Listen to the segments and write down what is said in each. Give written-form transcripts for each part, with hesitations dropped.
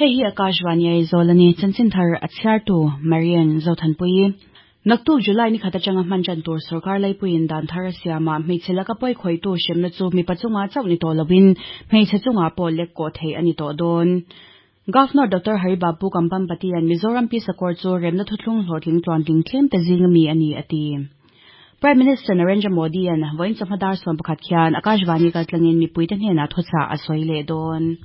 Hei hi Akashvani Aizawl a ni. Chanchin thar a chhiartu Marian Zothanpuii. Naktuk July ni khat atanga hman tan tur sorkar laipuiin dan thar a siamah hmeichhe laka pawi khawihtu hremna chu mipa chungah chauh ni tawh lovin hmeichhe chungah pawh lek kawh theih a ni tawh dawn. Governor Doctor Hari Babu Kambhampatian Mizoram Peace Accord chu remna thuthlung hlawhtling tluantling tlem te zing ami a ni a ti. Prime Minister Narendra Modi-a'n vawiin chawhma dar 11 khian Akashvani kaltlangin mipuite hnenah thuchah a sawi leh dawn.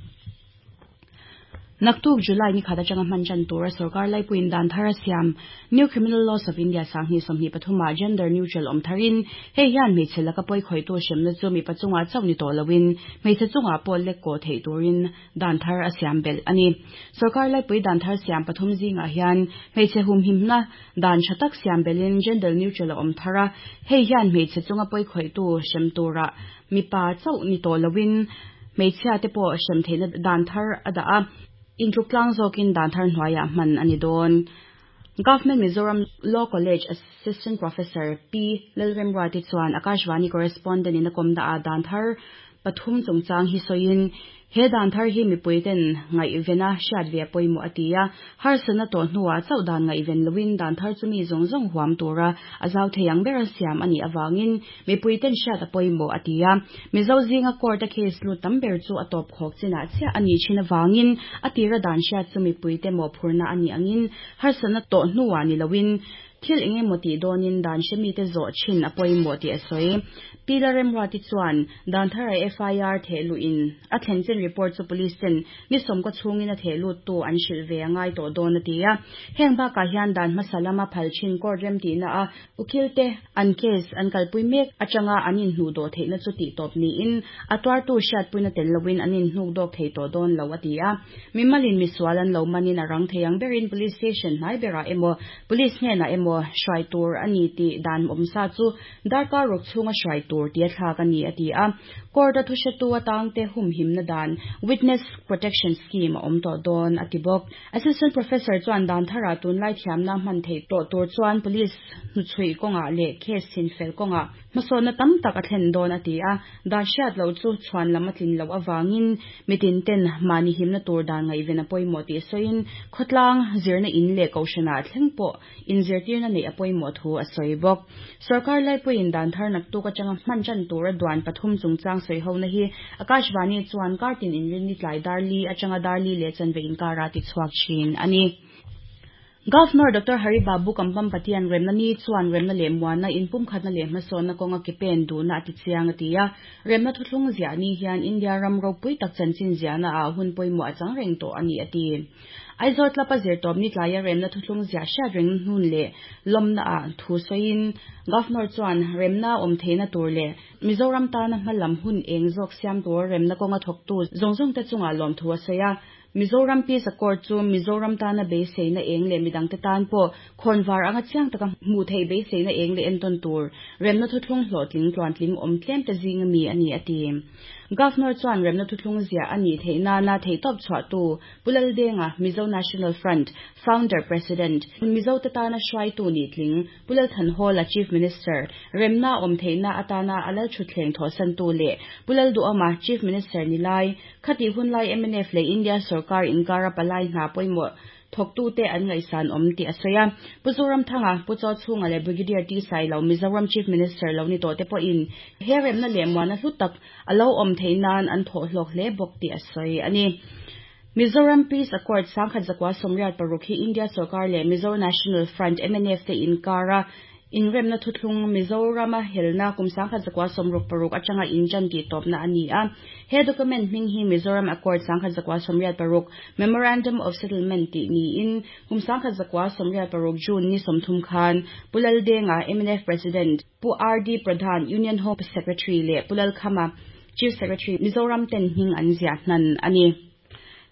Naktuk July ni khat atanga hman tan tura sorkar laipuiin dan thar a siam New Criminal Laws of India 2023 ah gender neutral awm tharin hei hian hmeichhe laka pawi khawihtu hremna chu mipa chungah chauh ni tawh loin hmeichhe chungah pawh lek kawh theih turin dan thar a siam belh a ni. Sorkar laipui dan thar siam pathum zingah hian hmeichhe humhimna dan tha tak siam belhin gender neutral a awm thar a, hei hian hmeichhe chunga pawi khawihtu hrem tura mipa chauh ni tawh loin hmeichhia te pawh hrem theihna dan thar a dah a, intluk tlang zawkin dan thar hnuaiah hman a ni dawn. Government Mizoram Law College Assistant Professor P. Lalremruati chuan Akashvani correspondent in a kawmna ah dan thar pathum chungchang hi sawiin he dan thar hi mipui ten ngaihvena hriat ve a pawimawh a ti a, harsatna tawh hnuah chauh dan ngaihven loin dan thar chu mi zawng zawng huam tura a zau thei ang bera siam a nih avangin mipui ten hriat a pawimawh a ti a. Mizo zinga court a case lut tam ber chu a tawp khawk chinah chiah a nih thin avangin a tira dan hriat chu mipui te mawhphurhna a nih angin harsatna tawh hnuah ni loin thil eng emaw tih dawnin dan hre mite zawh thin a pawimawh tih a sawi. Pi Lalremruati chuan dan thara FIR theh luhin a thlen chin report chu police ten ni sawmkaw chhungin a theh luttu an hrilh ve a ngai tawh dawn a ti a. Heng bakah hian dan hmasa lama phal thin court remtihna a Ukil te an case an kalpui mek atanga an inhnuh dawh theihna chu tih tawp niin a tuartu hriatpuina tel loin an inhnuk dawk thei tawh dawn lo a ti a. Mimalin misual an lo manin a rang thei ang berin police station hnai berah emaw police hnenah emaw hruai tur a ni tih dan awmsa chu darkar ruk chhunga hruai tur tia thlak a ni a ti a. Court a thuhretu atangte humhimna dan Witness Protection Scheme a awm tawh dawn a ti bawk. Assistant Professor chuan dan tharah tunlai thiamna hman theih tawh tur chuan police hnuchhuih kawngah leh case chinfel kawngah hmasawnna tam tak a thlen dawn a ti a, dan hriat loh chu chhuan lam a tlin loh avangin mitin ten mahni himna tur dan ngaihven a pawimawh tih sawiin khawtlang zirna in leh kohhranah thleng pawh inzirtirna neih a pawimawh thu a sawi bawk. Sorkar laipuiin dan thar naktuk atanga hman tan tura duan pathum chungchang sawihona hi Akashvani chuan kartin inrinni tlai dar li atanga dar li leh chanve inkara tichhuak thin a ni. Governor Doctor Hari Babu Kambhampatian remna ni chuan remna leh muanna inpumkhatna leh hmasawnna kawnga ke pen duhna a tichiang a ti a. Remna thuthlung ziah ni hian India ram ropui tak chanchin ziahna ah hun pawimawh a chang reng tawh a ni a ti. Aizawl Club a zirtawp ni tlaia remna thuthlung ziah hriat reng hnun leh lawmna ah thu sawiin Governor chuan remna awm theihna tur leh Mizoram tana hmalam hun eng zawk siam tur remna kawnga thawktu zawng zawng te chungah lawmthu a sawi a. Mizoram Peace Accord chu Mizoram tana beiseina eng leh midangte tan pawh khawnvar anga chiang taka hmuh theih beiseina eng leh entawn tur remna thuthlung hlawhtling tluantling awm tlem te zinga mi a ni a ti. Governor chuan remna thuthlung ziah a nih theih nana theihtawp chhuahtu Pu Laldenga, Mizo National Front Founder President, Mizote tana hruaitu nih tling, Pu Lalthanhawla, Chief Minister, remna awm theihna atana a lalthutthleng thawhsantu leh Pu Lalduhawma, Chief Minister ni lai, khatih hunlai mnf leh India sorkar inkara palai hna pawimawh thawktute an ngaihsan awm tih a sawi a. Pu Zoramthanga, Pu Chawchhunga leh Brigadier T Sailo, Mizoram Chief Minister lo ni tawh te pawhin he remna leh muana hlu tak a lo awm theih nan an thawh hlawk hle bawk tih a sawi a ni. Mizoram Peace Accord 1986 hi India sorkar leh Mizo National Front, mnf, te inkara inremna thuthlung Mizorama helna kum 1966 atanga intan tih tawpna a ni a. He document hming hi Mizoram Accord 1986 Memorandum of Settlement tih niin kum 1986 June ni 30 khan Pu Laldenga, mnf President, Pu RD Pradhan, Union Home Secretary leh Pu Lalkhama, Chief Secretary, Mizoram ten hming an ziah hnan a ni.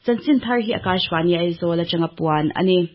Chanchin thar hi Akashvani Aizawl atanga puan a ni.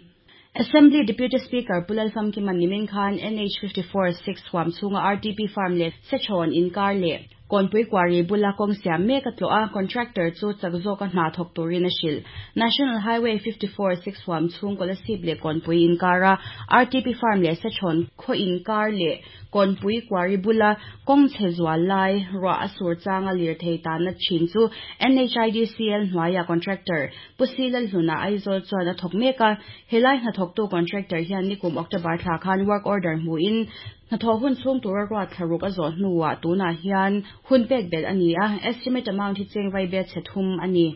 Assembly Deputy Speaker Pu Lalfamkiman nimin khan NH 54 6 huam chhunga RTP Farm leh Sechhawn inkar leh Kawnpui Quarry bula kawng siam mek a tlawh a, contractor chu chak zawka hna thawk turin a hrilh. National Highway 54 6 huam chhung Kolasib leh Kawnpui inkara RTP Farm leh Sachhawn khaw inkar leh Kawnpui Quarry bula kawng chhe zual lai ruah a sur changa lirthei tanna thin chu NHIDCL hnuaia contractor Pu Si Lalhluna Aizawl chuan a thawk mek a. Helai hnathawktu contractor hian nikum October thla khan work order hmuhin Hnathawh hun chhung tura ruat thlaruk a zawh hnuah tunah hian hun pek belh a ni a, estimate amount hi cheng vai bial chhe thum a ni.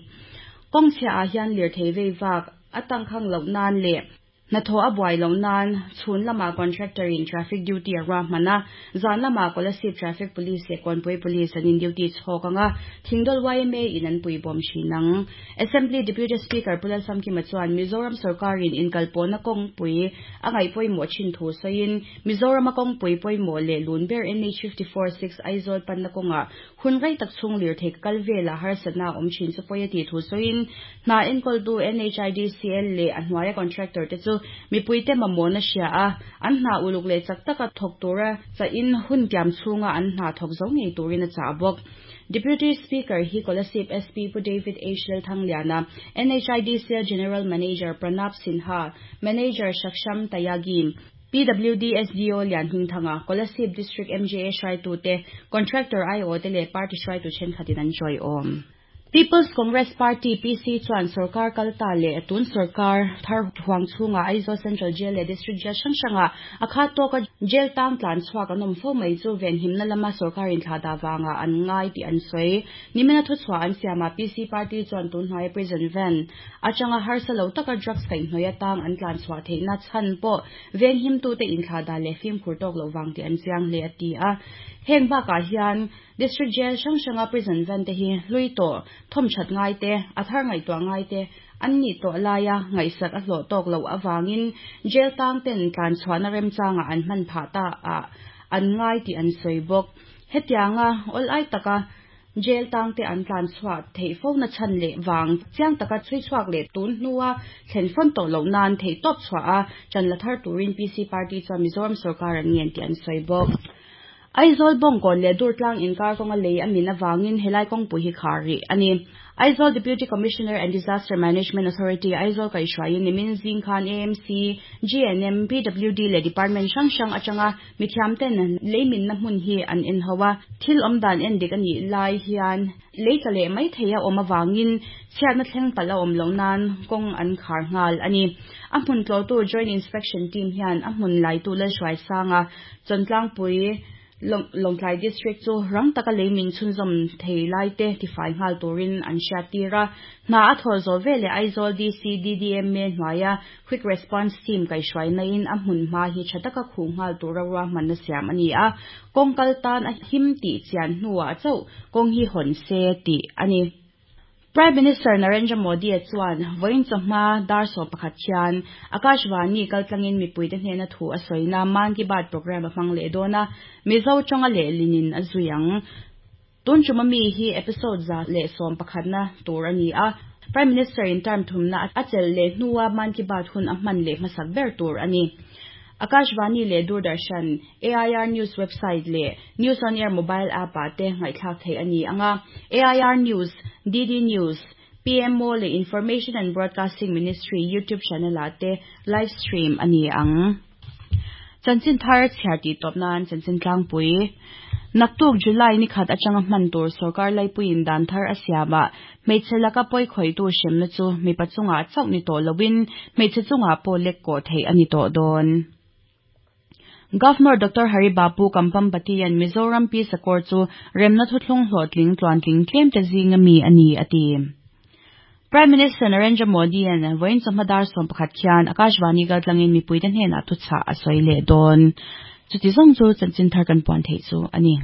Kawng chhiahah hian lirthei vei vak a tangkhang loh nan leh hnathawh a buai loh nan chhun lamah contractor in traffic duty a ruahman a, zan lamah Kolasib Traffic Police leh Kawnpui Police an in duty chhawk ang a, Thingdawl yma in an puibawm thin ang. Assembly Deputy Speaker Pu Lalsamkima chuan Mizoram sorkarin inkalpawhna kawngpui a ngaih pawimawh thin thu sawiin, Mizorama kawngpui pawimawh leh lun ber NH 54 6 Aizawl panna kawngah hun rei tak chhung lirthei ka kal velah harsatna a awm thin chu pawi a tih thu sawiin, hna enkawltu NHIDCL leh a hnuaia contractor te chu mipuite mamawhna hria a, an hna uluk leh chak taka thawk tura chahin hun tiam chhunga an hna thawk zo ngei turin a chah bawk. Deputy Speaker hi Kolasib SP Pu David H. Lalthangliana, NHIDCL General Manager Pranab Sinha, Manager Saksham Tyagi, PWD SDO Lian Hmingthanga, Kolasib District MJA hruaitute, Contractor aiawh te leh Party hruaitu thenkhatin an tawiawm. People's Congress Party, PC, chuan sorkar kal ta leh tun sorkar thar huang chhungah Aizawl Central Jail leh District Jail hrang hrangah a khat tawka jail tang tlan chhuak an awm fo mai chu venhimna lama sorkar inthlah vangah an ngai tih an sawi. Nimina thuchhuah an siamah PC Party chuan tun hnuaia prison van atanga harsa lo taka drugs kaihhnawih atang an tlan chhuah theihna chhan pawh venghimtute inthlah dan leh fimkhur tawk loh vang tih an chiang hle a ti a. Heng bakah hian District Jail hrang hranga prison van te hi hlui tawh, thawmthat ngai te, a thar ngaihtuah ngai te an nih tawh laia ngaihsak a hlawh tawk loh avangin jail tang ten tlan chhuahna remchangah an hman phah ta ah an ngai tih an sawi bawk. Hetianga awl ai taka jail tang te an tlan chhuah theih fo na chhan leh vang chiang taka chhui chhuak leh tun hnua thlen fawn tawh loh nan theih tawp chhuah a ṭan la thar turin PC Party chuan Mizoram sorkar an ngen tih an sawi bawk. Aizawl Bawngkawn leh Durtlang inkar kawnga lei a min avangin helai kawngpui hi khar rih a ni. Aizawl Deputy Commissioner and Disaster Management Authority Aizawl kaihhruaiin nimin zing khan AMC, GNM, PWD leh Department hrang hrang atanga mithiamten lei minna hmun hi an en ho a. Thil awmdan en dik a nih lai hian lei tla leh mai thei a awm avangin chhiatna thleng palh a awm loh nan kawng an khar nghal a ni. A hmun tlawhtu Joint Inspection Team hian a hmun laitu Lalhruaisanga Chawntlangpui Lawngtlai District chu rang taka lei min chhunzawm thei laite tifai nghal turin an hriattir a. Hna a thawh zawh veleh Aizawl DC DDMA hnuaia Quick Response Team kaihhruainain a hmun hma hi tha taka khuh nghal tura ruahmanna siam a ni a. Kawng kal tan a him tih chian hnuah chauh kawng hi hawn se tih a ni. Prime Minister Narendra Modi chuan vawiin chawhma dar 11 hian Akashvani kaltlangin mipuite hnena thu a sawina Mann Ki Baat programme a hmang leh dawn a, Mizo tawnga lehlinin a zui ang. Tun ṭuma mi hi episode 111na tur a ni a, Prime Minister in term thumna a chelh leh hnua Mann Ki Baat hun a hman leh hmasak ber tur a ni. Akashvani leh Doordarshan, AIR News website leh News on Air mobile app-ah te ngaihthlak theih a ni ang a, AIR News, DD News, PMO leh Information and Broadcasting Ministry YouTube channel-ah te live stream a ni ang. Chanchin thar chhiar tih tawp nan chanchin tlangpui. Naktuk July ni khat atanga hman tur sorkar laipuiin dan thar a siamah hmeichhe laka pawi khawihtu hremna chu mipa chungah chauh ni tawh loin hmeichhe chungah pawh lek kawh theih a ni tawh dawn. Governor Doctor Hari Babu Kambhampati-a'n Mizoram Peace Accord chu remna thuthlung hlawhtling tluantling tlemte zinga mi a ni a ti. Prime Minister Narendra Modi-a'n vawiin chawhma dar 11 khian Akashvani kaltlangin mipuite hnenah thuchah a sawi leh dawn. Chuti zawng chu chanchin thar kan puan theih chu a ni.